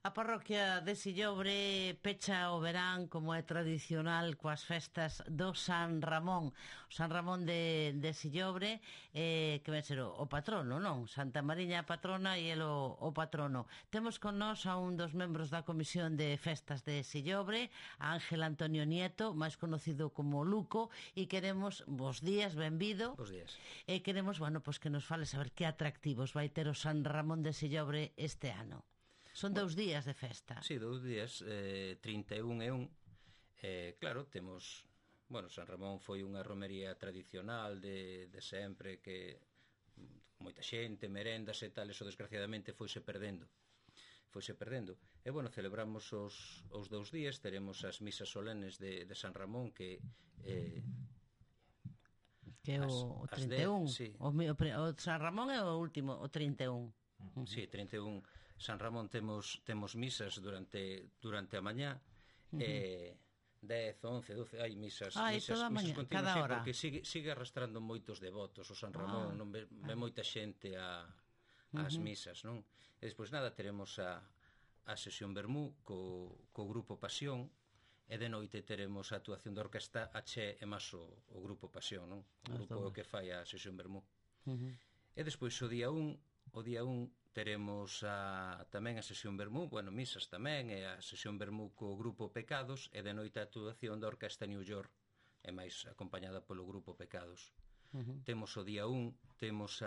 A parroquia de Sillobre pecha o verán, como é tradicional, coas festas do San Ramón. O San Ramón de Sillobre, que vai ser o patrono, non? Santa Mariña a patrona e el o patrono. Temos con nós a un dos membros da Comisión de Festas de Sillobre, a Ángel Antonio Nieto, máis conocido como Luco, e queremos, bos días, benvido. Bos días. E queremos, bueno, pues que nos fale saber que atractivos vai ter o San Ramón de Sillobre este ano. Son 2 días de festa. Sí, 2 días, 31 e 1. Claro, temos... Bueno, San Ramón foi unha romería tradicional de sempre, que moita xente, merendas e tal, eso desgraciadamente foise perdendo. E, bueno, celebramos os 2 días, teremos as misas solenes de San Ramón, que é o 31. Sí. O San Ramón é o último, o 31. Sí, 31 San Ramón temos misas durante a mañá, 10, 11, 12 hai misas mañá, continuas, cada hora. porque sigue arrastrando moitos devotos o San Ramón, non ve moita xente ás misas, non? E despois nada, teremos a sesión vermú co grupo Pasión, e de noite teremos a actuación da orquesta Aché e máis o grupo Pasión, non? O grupo que fai a sesión vermú. E despois o día 1 teremos tamén a sesión vermú, bueno, misas tamén, e a sesión vermú co grupo Pecados, e de noite a actuación da orquesta New York, e máis acompañada polo grupo Pecados. Temos o día 1, temos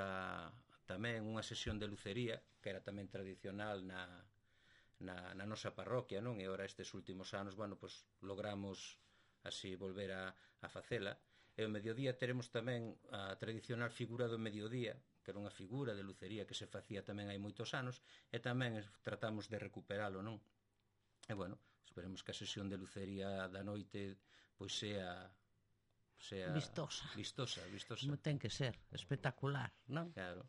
tamén unha sesión de lucería, que era tamén tradicional na nosa parroquia, non? E ora estes últimos anos, bueno, pues logramos así volver a facela. E o mediodía teremos tamén a tradicional figura do mediodía, que era unha figura de lucería que se facía tamén hai moitos anos, e tamén tratamos de recuperalo, non? E, bueno, esperemos que a sesión de lucería da noite pois sea vistosa. Vistosa. Ten que ser espectacular, non? Claro.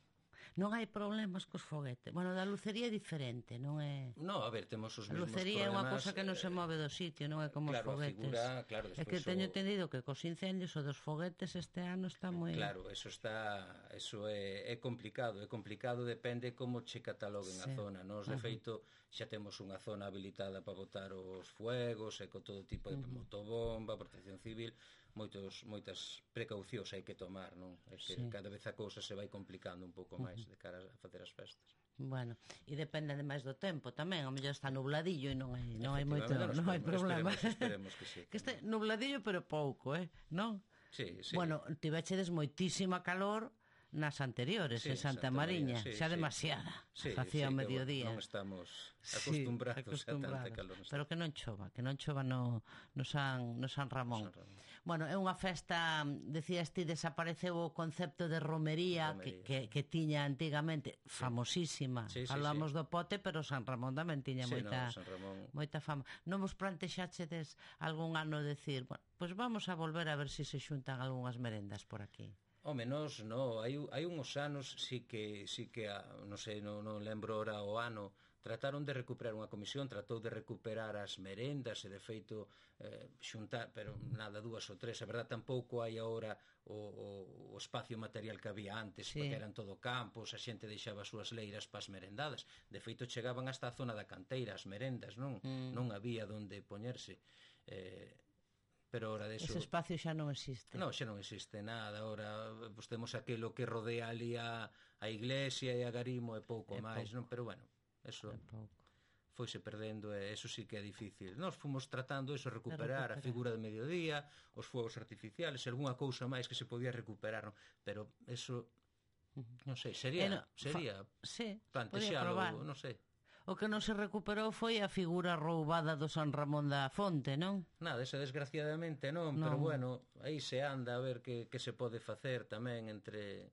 Non hai problemas cos foguetes. Bueno, da lucería é diferente, non é... No, a ver, temos os mesmos problemas. A lucería é unha cosa que non se move do sitio, non é como os foguetes. Claro, é que teño entendido que cos incendios o dos foguetes este ano está moi... Claro, eso é complicado, depende como che cataloguen a zona. Nos, de feito, xa temos unha zona habilitada para botar os fuegos, e con todo tipo de motobomba, protección civil, moitas precaucións hai que tomar, non? É que cada vez a cousa se vai complicando un pouco máis de cara a facer as festas. Bueno, e depende ademais do tempo tamén, ao mellor está nubladillo e non hai moito, non hai problema. Esperemos que sí. Que este nubladillo pero pouco, non? Sí. Bueno, tivechedes moitísima calor nas anteriores, en Santa Mariña, xa demasiada, facía o mediodía. Non estamos acostumbrados a tanta calor. Pero que non chova no San Ramón. Bueno, é unha festa, decías ti, desapareceu o concepto de romería que tiña antigamente, famosísima. Falamos do pote, pero San Ramón tamén tiña moita fama. Non vos plantexachedes algún ano decir, bueno, pois vamos a volver a ver se se xuntan algunhas merendas por aquí? Home, nos, no, hai uns anos sí que non sei, non lembro ora o ano, trataron de recuperar unha comisión, tratou de recuperar as merendas e de feito xuntar, pero nada, 2 ou 3, a verdad tampouco hai agora o espacio material que había antes, porque eran todo campos, a xente deixaba as súas leiras para as merendadas, de feito chegaban hasta a zona da canteira as merendas, non había onde poñerse. Pero ora deso... Ese espacio xa non existe. Non, xa non existe nada. Ora pues, temos aquilo que rodea ali a iglesia e a Garimo e pouco máis, non? Pero bueno, eso foise perdendo e eso sí que é difícil. Nós fomos tratando eso, recuperar a figura de mediodía, os fogos artificiales, algunha cousa máis que se podía recuperar, non? Pero eso, non sei, sería plantexalo, non sei. O que non se recuperou foi a figura roubada do San Ramón da Fonte, non? Nada, esa desgraciadamente non, pero bueno, aí se anda a ver que se pode facer tamén entre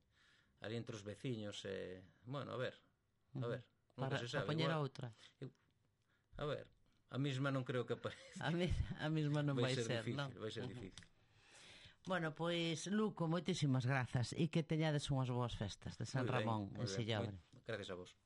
os veciños e, bueno, a ver, nunca se sabe. Para poñer a outra. A ver, a mesma non creo que aparece. A mesma non vai ser, non? Vai ser difícil. Bueno, pois, Luco, moitísimas grazas e que teñades unhas boas festas de San Ramón en Sillobre. Gracias a vos.